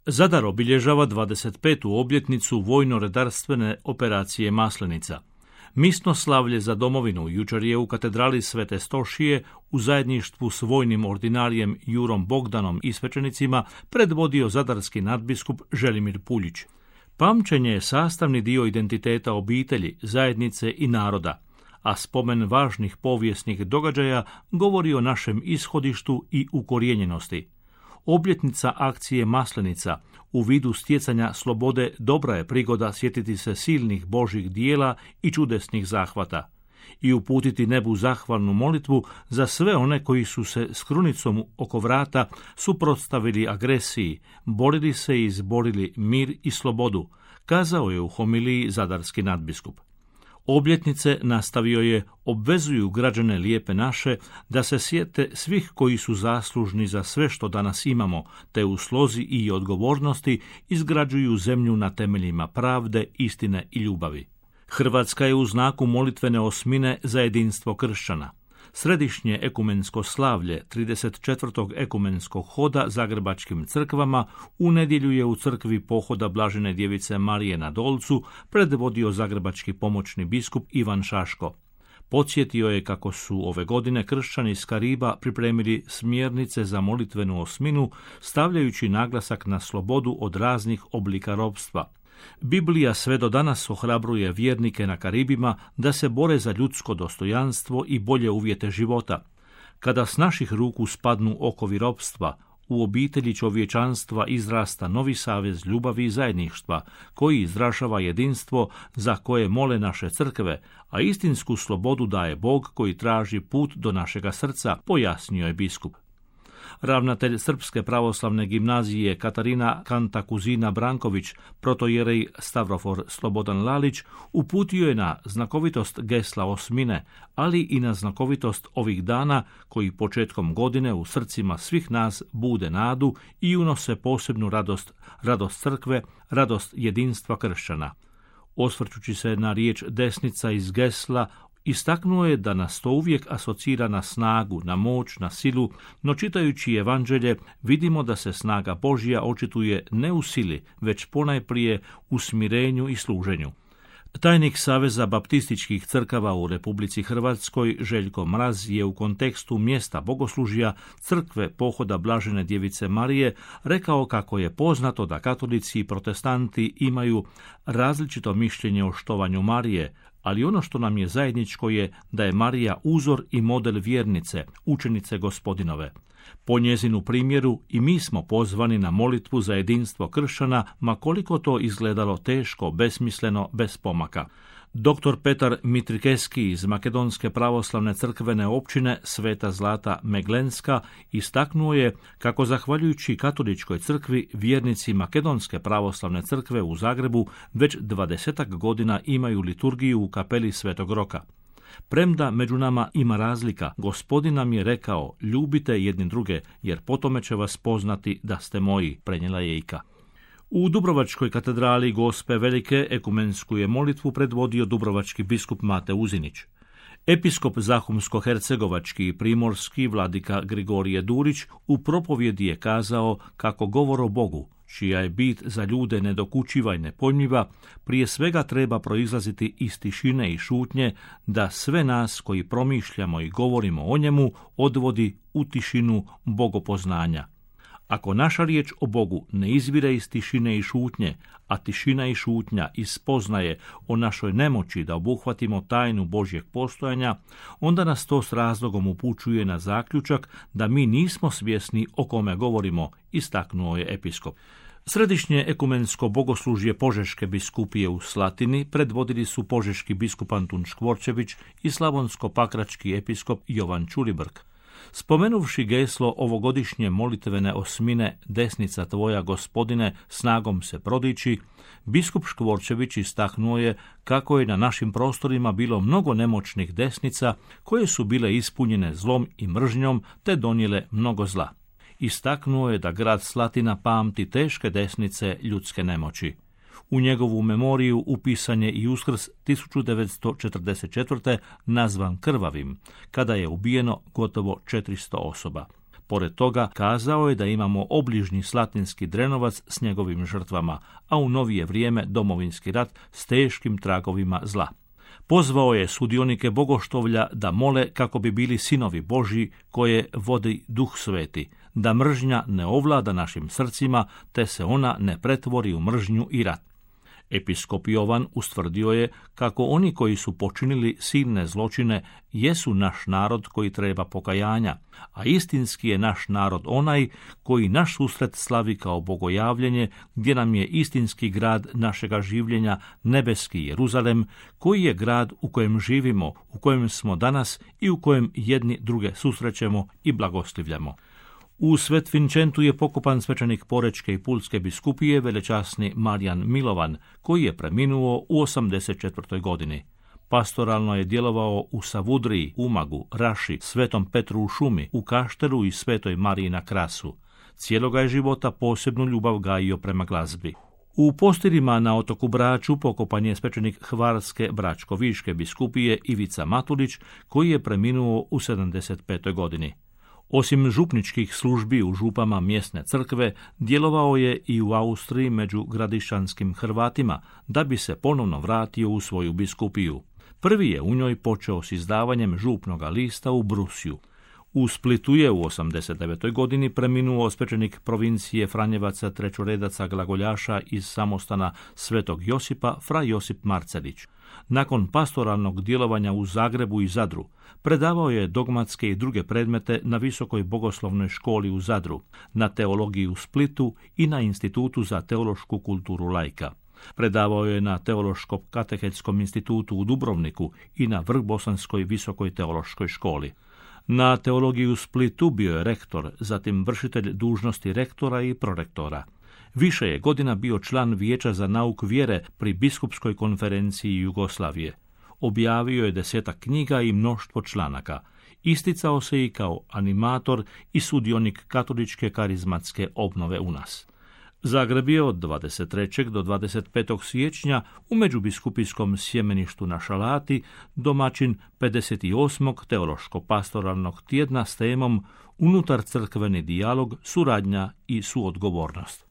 Zadar obilježava 25. obljetnicu vojno-redarstvene operacije Maslenica. Misno slavlje za domovinu jučer je u katedrali Svete Stošije u zajedništvu s vojnim ordinarijem Jurom Bogdanom i svećenicima predvodio zadarski nadbiskup Želimir Puljić. Pamćenje je sastavni dio identiteta obitelji, zajednice i naroda, a spomen važnih povijesnih događaja govori o našem ishodištu i ukorijenjenosti. Obljetnica akcije Maslenica u vidu stjecanja slobode dobra je prigoda sjetiti se silnih Božjih dijela i čudesnih zahvata i uputiti nebu zahvalnu molitvu za sve one koji su se s krunicom oko vrata suprotstavili agresiji, borili se i izborili mir i slobodu, kazao je u homiliji zadarski nadbiskup. Obljetnice, nastavio je, obvezuju građane Lijepe naše da se sjete svih koji su zaslužni za sve što danas imamo, te u slozi i odgovornosti izgrađuju zemlju na temeljima pravde, istine i ljubavi. Hrvatska je u znaku molitvene osmine za jedinstvo kršćana. Središnje ekumensko slavlje 34. ekumenskog hoda zagrebačkim crkvama u nedjelju je u crkvi pohoda Blažene djevice Marije na Dolcu predvodio zagrebački pomoćni biskup Ivan Šaško. Podsjetio je kako su ove godine kršćani iz Kariba pripremili smjernice za molitvenu osminu, stavljajući naglasak na slobodu od raznih oblika ropstva. Biblija sve do danas ohrabruje vjernike na Karibima da se bore za ljudsko dostojanstvo i bolje uvjete života. Kada s naših ruku spadnu okovi ropstva, u obitelji čovječanstva izrasta novi savez ljubavi i zajedništva, koji izražava jedinstvo za koje mole naše crkve, a istinsku slobodu daje Bog koji traži put do našega srca, pojasnio je biskup. Ravnatelj Srpske pravoslavne gimnazije Katarina Kantakuzina Branković, protojerej Stavrofor Slobodan Lalić, uputio je na znakovitost gesla osmine, ali i na znakovitost ovih dana koji početkom godine u srcima svih nas bude nadu i unose posebnu radost crkve, radost jedinstva kršćana. Osvrćući se na riječ desnica iz gesla, istaknuo je da nas to uvijek asocira na snagu, na moć, na silu, no čitajući evanđelje vidimo da se snaga Božja očituje ne u sili, već ponajprije u smirenju i služenju. Tajnik Saveza baptističkih crkava u Republici Hrvatskoj Željko Mraz je u kontekstu mjesta bogoslužja crkve pohoda Blažene djevice Marije rekao kako je poznato da katolici i protestanti imaju različito mišljenje o štovanju Marije, ali ono što nam je zajedničko je da je Marija uzor i model vjernice, učenice Gospodinove. Po njezinu primjeru i mi smo pozvani na molitvu za jedinstvo kršćana, ma koliko to izgledalo teško, besmisleno, bez pomaka. Dr. Petar Mitrikeski iz Makedonske pravoslavne crkvene općine Sveta Zlata Meglenska istaknuo je kako zahvaljujući katoličkoj crkvi vjernici Makedonske pravoslavne crkve u Zagrebu već 20 godina imaju liturgiju u kapeli Svetog Roka. Premda među nama ima razlika, Gospodin nam je rekao, ljubite jedni druge, jer po tome će vas poznati da ste moji, prenijela je Ika. U Dubrovačkoj katedrali Gospe Velike ekumensku je molitvu predvodio dubrovački biskup Mate Uzinić. Episkop Zahumsko-hercegovački i primorski vladika Grigorije Durić u propovjedi je kazao kako govor o Bogu, čija je bit za ljude nedokučiva i nepojmljiva, prije svega treba proizlaziti iz tišine i šutnje, da sve nas koji promišljamo i govorimo o njemu odvodi u tišinu bogopoznanja. Ako naša riječ o Bogu ne izvire iz tišine i šutnje, a tišina i šutnja iz spoznaje o našoj nemoći da obuhvatimo tajnu Božjeg postojanja, onda nas to s razlogom upućuje na zaključak da mi nismo svjesni o kome govorimo, istaknuo je episkop. Središnje ekumensko bogoslužje Požeške biskupije u Slatini predvodili su požeški biskup Antun Škvorčević i slavonsko-pakrački episkop Jovan Čulibrk. Spomenuvši geslo ovogodišnje molitvene osmine Desnica tvoja, Gospodine, snagom se prodiči, biskup Škvorčević istaknuo je kako je na našim prostorima bilo mnogo nemoćnih desnica koje su bile ispunjene zlom i mržnjom te donijele mnogo zla. Istaknuo je da grad Slatina pamti teške desnice ljudske nemoći. U njegovu memoriju upisan je i Uskrs 1944. nazvan krvavim, kada je ubijeno gotovo 400 osoba. Pored toga, kazao je da imamo obližnji Slatinski Drenovac s njegovim žrtvama, a u novije vrijeme Domovinski rat s teškim tragovima zla. Pozvao je sudionike bogoštovlja da mole kako bi bili sinovi Božji koje vodi Duh Sveti, da mržnja ne ovlada našim srcima, te se ona ne pretvori u mržnju i rat. Episkop Jovan ustvrdio je kako oni koji su počinili silne zločine jesu naš narod koji treba pokajanja, a istinski je naš narod onaj koji naš susret slavi kao bogojavljenje, gdje nam je istinski grad našega življenja, nebeski Jeruzalem, koji je grad u kojem živimo, u kojem smo danas i u kojem jedni druge susrećemo i blagoslivljamo. U Svet Vincentu je pokopan svećenik Porečke i Pulske biskupije velečasni Marijan Milovan, koji je preminuo u 84. godini. Pastoralno je djelovao u Savudriji, Umagu, Raši, Svetom Petru u Šumi, u Kaštelu i Svetoj Mariji na Krasu. Cijeloga je života posebnu ljubav gajio prema glazbi. U Postirima na otoku Braču pokopan je svećenik Hvarske Bračko-Viške biskupije Ivica Matulić, koji je preminuo u 75. godini. Osim župničkih službi u župama mjesne crkve, djelovao je i u Austriji među gradišćanskim Hrvatima, da bi se ponovno vratio u svoju biskupiju. Prvi je u njoj počeo s izdavanjem župnoga lista u Brusiju. U Splitu je u 89. godini preminuo svećenik provincije Franjevaca trećoredaca glagoljaša iz samostana Svetog Josipa, fra Josip Marcelić. Nakon pastoralnog djelovanja u Zagrebu i Zadru, predavao je dogmatske i druge predmete na Visokoj bogoslovnoj školi u Zadru, na teologiji u Splitu i na Institutu za teološku kulturu laika. Predavao je na Teološko-katehetskom institutu u Dubrovniku i na Vrhbosanskoj visokoj teološkoj školi. Na teologiji u Splitu bio je rektor, zatim vršitelj dužnosti rektora i prorektora. Više je godina bio član Vijeća za nauk vjere pri Biskupskoj konferenciji Jugoslavije. Objavio je 10 knjiga i mnoštvo članaka. Isticao se i kao animator i sudionik katoličke karizmatske obnove u nas. Zagreb je od 23. do 25. siječnja u međubiskupijskom sjemeništu na Šalati domaćin 58. teološko-pastoralnog tjedna s temom Unutar crkveni dijalog, suradnja i suodgovornost.